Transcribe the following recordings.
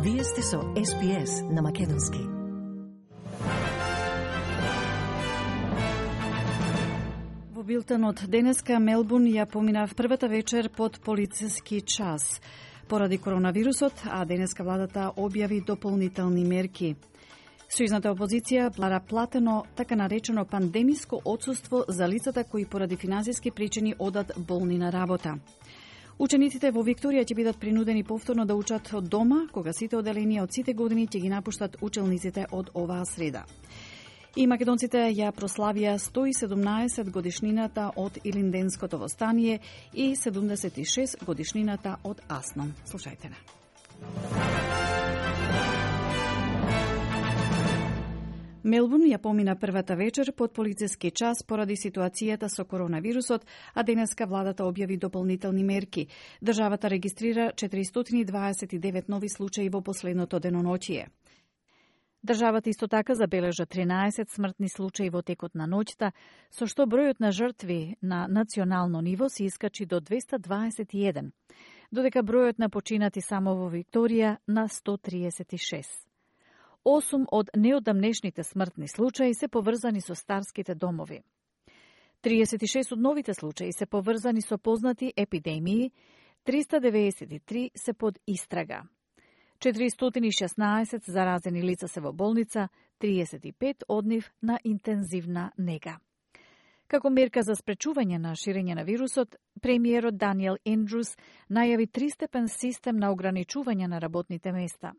Вие сте со SPS на Македонски. Во билтенот денеска Мелбурн ја помина првата вечер под полициски час поради коронавирусот, а денеска владата објави дополнителни мерки. Сојузната опозиција бара платено така наречено пандемиско отсуство за лицата кои поради финансиски причини одат болни на работа. Учениците во Викторија ќе бидат принудени повторно да учат од дома, кога сите оделенија од сите години ќе ги напуштат учелниците од оваа среда. И македонците ја прославија 117 годишнината од Илинденското востание и 76 годишнината од Аснон. Слушајте на. Мелбурн ја помина првата вечер под полициски час поради ситуацијата со коронавирусот, а денеска владата објави дополнителни мерки. Државата регистрира 429 нови случаи во последното деноноќие. Државата исто така забележа 13 смртни случаи во текот на ноќта, со што бројот на жртви на национално ниво се искачи до 221, додека бројот на починати само во Викторија на 136. 8 од неодамнешните смртни случаи се поврзани со старските домови. 36 од новите случаи се поврзани со познати епидемии, 393 се под истрага. 416 заразени лица се во болница, 35 од нив на интензивна нега. Како мерка за спречување на ширење на вирусот, премиерот Даниел Ендрус најави тристепен систем на ограничување на работните места.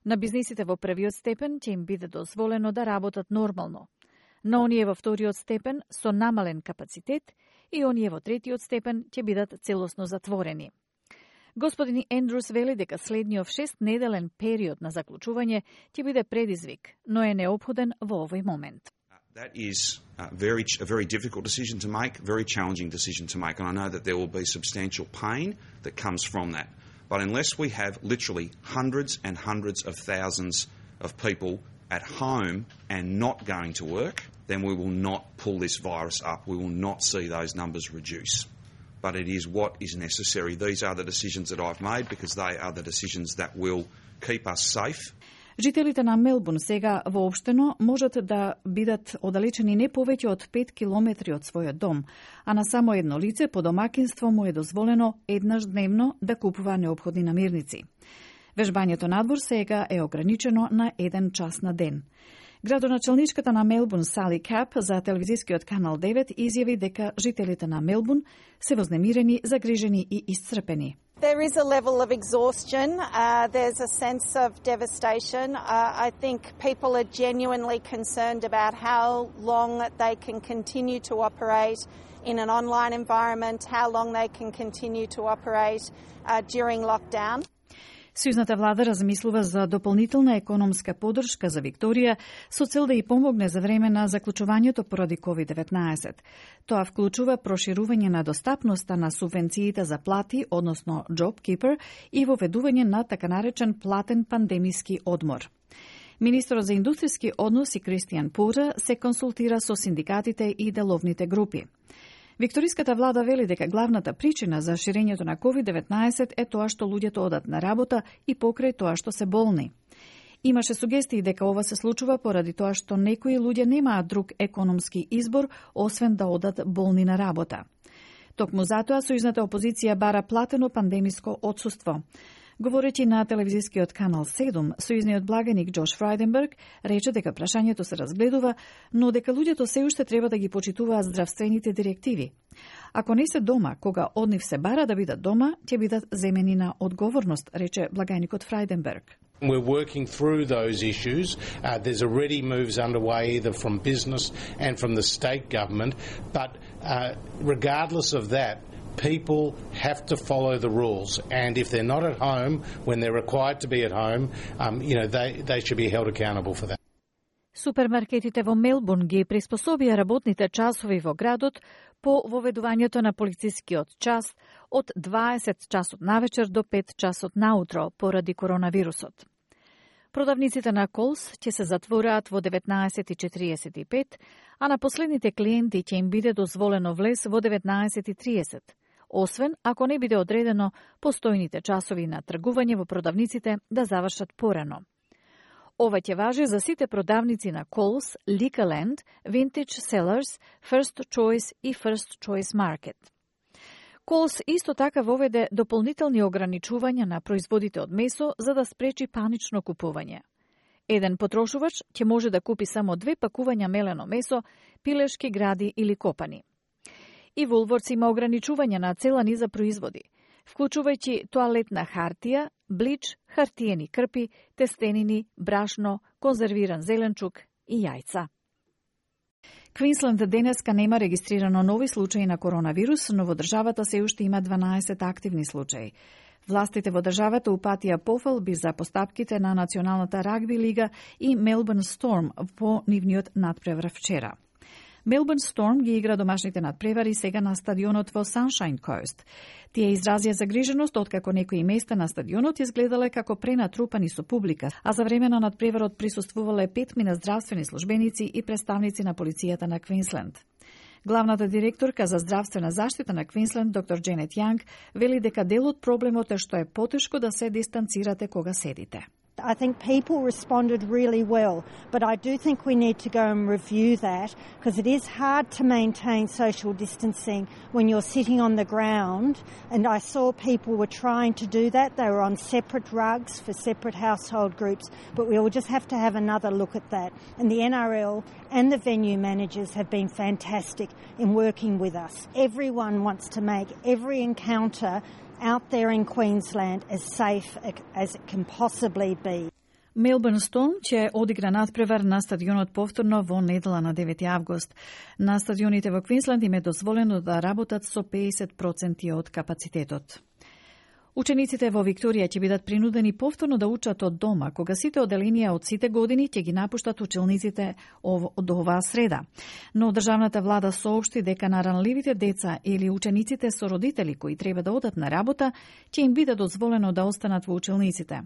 На бизнисите во првиот степен ќе им биде дозволено да работат нормално, на оние во вториот степен со намален капацитет и оние во третиот степен ќе бидат целосно затворени. Господин Ендрус вели дека следниот 6-неделен период на заклучување ќе биде предизвик, но е неопходен во овој момент. That is a very difficult decision to make, very challenging decision to make, and I know that there will be substantial pain that comes from that. But unless we have literally hundreds and hundreds of thousands of people at home and not going to work, then we will not pull this virus up. We will not see those numbers reduce. But it is what is necessary. These are the decisions that I've made because they are the decisions that will keep us safe. Жителите на Мелбурн сега воопштено можат да бидат оддалечени не повеќе од 5 километри од својот дом, а на само едно лице по домакинство му е дозволено еднаш дневно да купува неопходни намирници. Вежбањето надвор сега е ограничено на 1 час на ден. Градоначалничката на Мелбурн Сали Кап за телевизискиот канал 9 изјави дека жителите на Мелбурн се вознемирени, загрижени и исцрпени. There is a level of exhaustion. There's a sense of devastation. I think people are genuinely concerned about how long they can continue to operate in an online environment, how long they can continue to operate during lockdown. Сојузната влада размислува за дополнителна економска поддршка за Викторија со цел да ја помогне за време на заклучувањето поради COVID-19. Тоа вклучува проширување на достапноста на субвенциите за плати, односно JobKeeper, и воведување на така наречен платен пандемиски одмор. Министерот за индустријски односи Кристијан Пура се консултира со синдикатите и деловните групи. Викториската влада вели дека главната причина за ширењето на COVID-19 е тоа што луѓето одат на работа и покрај тоа што се болни. Имаше сугестии дека ова се случува поради тоа што некои луѓе немаат друг економски избор освен да одат болни на работа. Токму затоа сојузната опозиција бара платено пандемиско отсуство. Говорејќи на телевизискиот канал 7, сојузниот благаник Джош Фрајденберг рече дека прашањето се разгледува, но дека луѓето се уште треба да ги почитуваат здравствените директиви. Ако не се дома, кога од нив се бара да бидат дома, ќе бидат земени на одговорност, рече благаникот Фрајденберг. We're working through those issues. There's already moves underway either from business and from the state government, but regardless of that, people have to follow the rules, and if they're not at home when they're required to be at home, they should be held accountable for that. Супермаркетите во Мелбурн ги приспособија работните часови во градот по воведувањето на полицискиот час од 20 часот навечер до 5 часот наутро поради коронавирусот. Продавниците на Колс ќе се затвораат во 19:45, а на последните клиенти ќе им биде дозволено влез во 19:30, освен ако не биде одредено постојните часови на тргување во продавниците да завршат порано. Ова ќе важи за сите продавници на Coles, Liquorland, Vintage Cellars, First Choice и First Choice Market. Coles исто така воведе дополнителни ограничувања на производите од месо за да спречи панично купување. Еден потрошувач ќе може да купи само 2 пакувања мелено месо, пилешки гради или копани. И Woolworths има ограничувања на цела низа производи, вклучувајќи тоалетна хартија, блич, хартиени крпи, тестенини, брашно, конзервиран зеленчук и јајца. Квинсленд денеска нема регистрирано нови случаи на коронавирус, но во државата се уште има 12 активни случаи. Властите во државата упатија пофалби за постапките на Националната рагби лига и Мелбурн Сторм по нивниот надпревар вчера. Мелбурн Сторм ги игра домашните надпревари сега на стадионот во Sunshine Coast. Тие изразија загриженост откако некои места на стадионот изгледале како пренатрупани со публика, а за време на надпреварот присуствувале 5 здравствени службеници и представници на полицијата на Квинсленд. Главната директорка за здравствена заштита на Квинсленд, доктор Дженет Јанг, вели дека дел од проблемот е што е потешко да се дистанцирате кога седите. I think people responded really well, but I do think we need to go and review that because it is hard to maintain social distancing when you're sitting on the ground, and I saw people were trying to do that. They were on separate rugs for separate household groups, but we will just have to have another look at that. And the NRL and the venue managers have been fantastic in working with us. Everyone wants to make every encounter out there in Queensland as safe as it can possibly be. Мелбурн Сторм ќе одигра надпревар на стадионот повторно во недела на 9 август. На стадионите во Квинсленд им е дозволено да работат со 50% од капацитетот. Учениците во Викторија ќе бидат принудени повторно да учат од дома, кога сите оделенија од сите години ќе ги напуштат училниците од оваа среда. Но државната влада соопшти дека на ранливите деца или учениците со родители кои треба да одат на работа, ќе им биде дозволено да останат во училниците.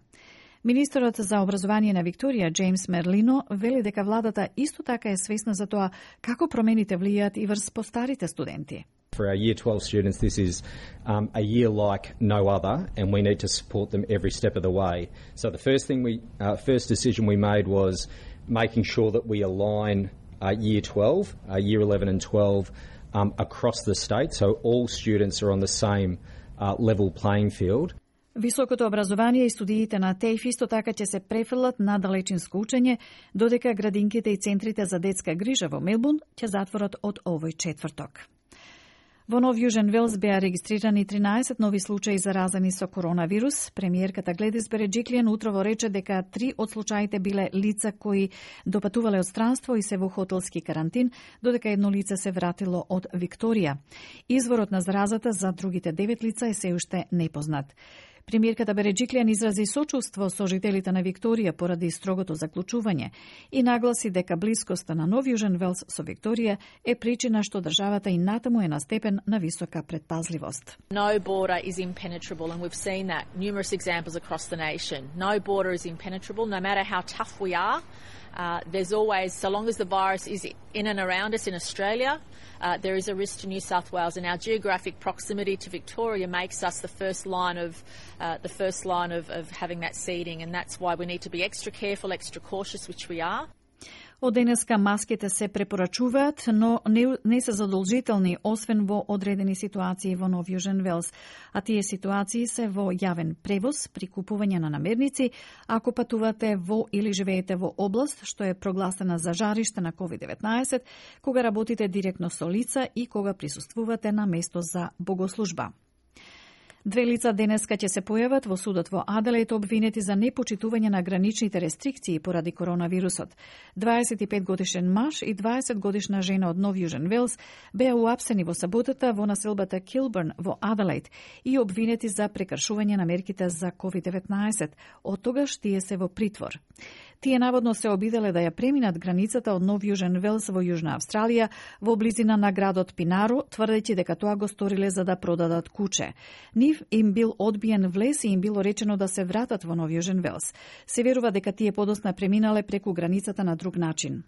Министерот за образование на Викторија, Джеймс Мерлино, вели дека владата исто така е свесна за тоа како промените влијаат и врз постарите студенти. For our Year 12 students, this is a year like no other, and we need to support them every step of the way. So the first decision we made was making sure that we align Year 12, Year 11 and 12 across the state, so all students are on the same level playing field. Високото образование и студиите на ТЕЙФ исто така ќе се префрлат на далечинско учење, додека градинките и центрите за детска грижа во Мелбурн ќе затворат од овој четврток. Во Нов Јужен Велс беа регистрирани 13 нови случаи заразени со коронавирус. Премиерката Гледис Береджиклијан утрово рече дека 3 од случаите биле лица кои допатувале од странство и се во хотелски карантин, додека едно лице се вратило од Викторија. Изворот на заразата за другите 9 лица е се уште непознат. Премиерката Береджиклијан изрази сочувство со жителите на Викторија поради строгото заклучување и нагласи дека блискоста на Нов Јужен Велс со Викторија е причина што државата и натаму е на степен на висока предпазливост. No border is impenetrable, and we've seen that numerous examples across the nation. No border is impenetrable, no matter how tough we are. There's always, so long as the virus is in and around us in Australia, there is a risk to New South Wales, and our geographic proximity to Victoria makes us the first line of having that seeding, and that's why we need to be extra careful, extra cautious, which we are. Од денеска маските се препорачуваат, но не се задолжителни, освен во одредени ситуации во Нов Јужен Велс. А тие ситуации се во јавен превоз, при купување на намерници, ако патувате во или живеете во област што е прогласена за жариште на COVID-19, кога работите директно со лица и кога присуствувате на место за богослужба. 2 лица денеска ќе се појават во судот во Аделаид обвинети за непочитување на граничните рестрикции поради коронавирусот. 25 годишен маж и 20 годишна жена од Нов Јужен Велс беа уапсени во саботата во населбата Килбърн во Аделаид и обвинети за прекршување на мерките за COVID-19. Од тогаш тие се во притвор. Тие наводно се обиделе да ја преминат границата од Нов Јужен Велс во Јужна Австралија во близина на градот Пинаро, тврдејќи дека тоа го сториле за да продадат куче. Нив им бил одбиен влез и им било речено да се вратат во Нов Јужен Велс. Се верува дека тие подосна преминале преку границата на друг начин.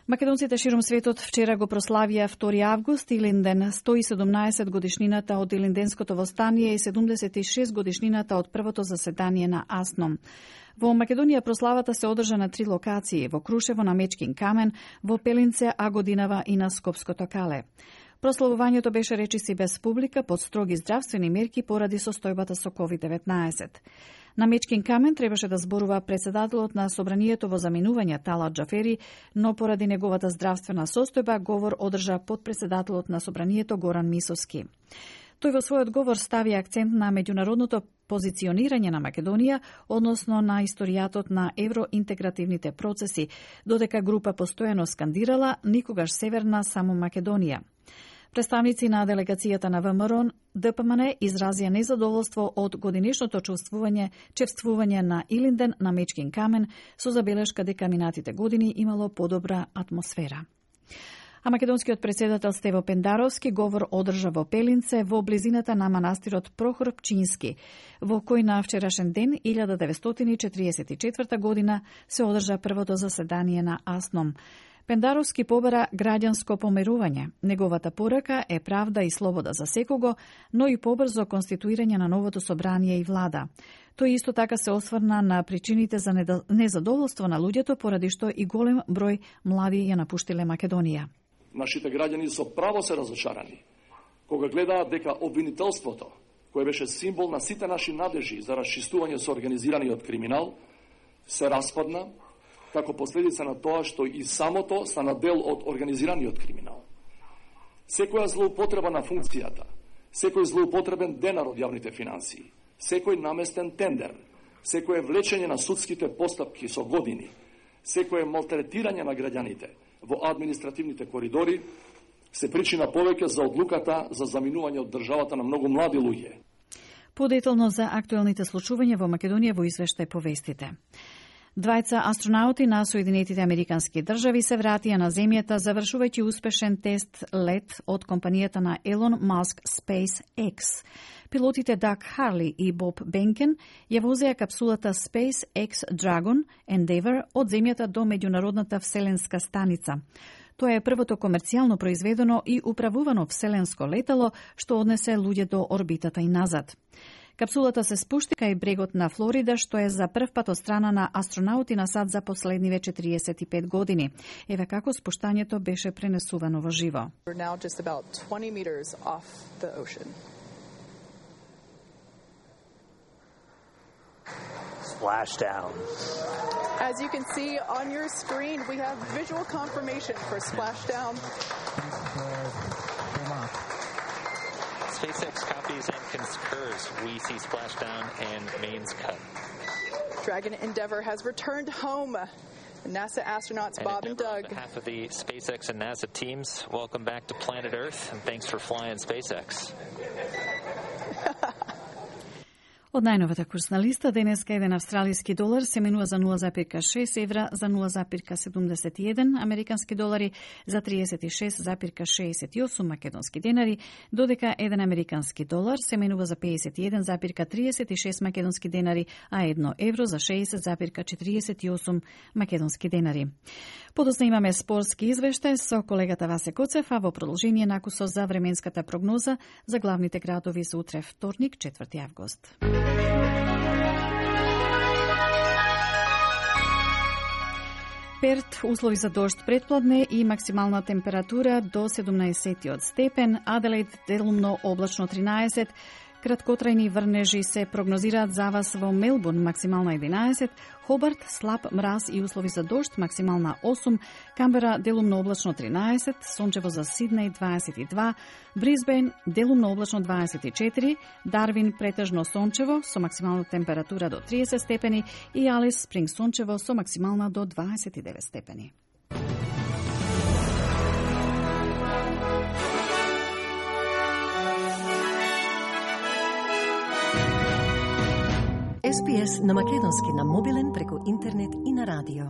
Македонците широм светот вчера го прославија 2 август, Илинден, 117 годишнината од Илинденското востание и 76 годишнината од првото заседание на АСНОМ. Во Македонија прославата се одржа на 3 локации, во Крушево на Мечкин камен, во Пелинце, Агодинава и на Скопското кале. Прославувањето беше речиси без публика под строги здравствени мерки поради состојбата со COVID-19. На Мечкин камен требаше да зборува председателот на собранието во заминување Талат Джафери, но поради неговата здравствена состојба говор одржа подпредседателот на собранието Горан Мисовски. Тој во својот говор стави акцент на меѓународното позиционирање на Македонија, односно на историјатот на евроинтегративните процеси, додека група постојано скандирала никогаш северна, само Македонија. Представници на делегацијата на ВМРО ДПМН изразија незадоволство од годинешното чествување на Илинден на Мечкин камен со забелешка дека минатите години имало подобра атмосфера. А македонскиот председател Стево Пендаровски говор одржа во Пелинце во близината на манастирот Прохор Пчински, во кој на вчерашен ден 1944 година се одржа првото заседание на АСНОМ. Пендаровски побара граѓанско помирување. Неговата порака е правда и слобода за секого, но и побрзо конституирање на новото собрание и влада. Тој исто така се осврна на причините за незадоволство на луѓето, поради што и голем број млади ја напуштиле Македонија. Нашите граѓани со право се разочарани кога гледаат дека обвинителството, кое беше символ на сите наши надежи за расчистување со организираниот криминал, се распадна како последица на тоа што и самото стана дел од организираниот криминал. Секоја злоупотреба на функцијата, секој злоупотребен денар од јавните финансии, секој наместен тендер, секој влечење на судските постапки со години, секој малтретирање на граѓаните во административните коридори се причина повеќе за одлуката за заминување од државата на многу млади луѓе. Подетално за актуелните случувања во Македонија во извештај повестите. Двајца астронаути на Соединетите Американски држави се вратија на земјата завршувајќи успешен тест лет од компанијата на Елон Маск SpaceX. Пилотите Даг Харли и Боб Бенкен ја возеа капсулата SpaceX Dragon Endeavour од земјата до меѓународната вселенска станица. Тоа е првото комерцијално произведено и управувано вселенско летало што однесе луѓе до орбитата и назад. Капсулата се спушти кај брегот на Флорида, што е за прв пат од страна на астронаути на САД за последниве 45 години. Еве како спуштањето беше пренесувано во живо. Splashdown. As you can see on your screen, we have visual confirmation for splashdown. SpaceX copies and concurs. We see splashdown and mains cut. Dragon Endeavour has returned home. NASA astronauts Bob and Doug. On behalf of the SpaceX and NASA teams, welcome back to planet Earth, and thanks for flying SpaceX. Од најновата курсна листа, денеска еден австралиски долар се менува за 0,6 евра, за 0,71 американски долари, за 36,68 македонски денари, додека еден американски долар се менува за 51,36 македонски денари, а 1 евро за 60,48 македонски денари. Подоцна имаме спортски извештај со колегата Васе Коцев, а во продолжение накусо за временската прогноза за главните градови за утре вторник, 4 август. Перт, услови за дожд предпладне и максимална температура до 17 степен, Аделаид делумно облачно 13, краткотрајни врнежи се прогнозираат за вас во Мелбурн, максимална 11, Хобарт слаб мраз и услови за дожд, максимална 8, Камбера делумно облачно 13, сончево за Сиднеј 22, Брисбен делумно облачно 24, Дарвин претежно сончево со максимална температура до 30 степени и Алис Спринг сончево со максимална до 29 степени. SPS на македонски на мобилен преку интернет и на радио.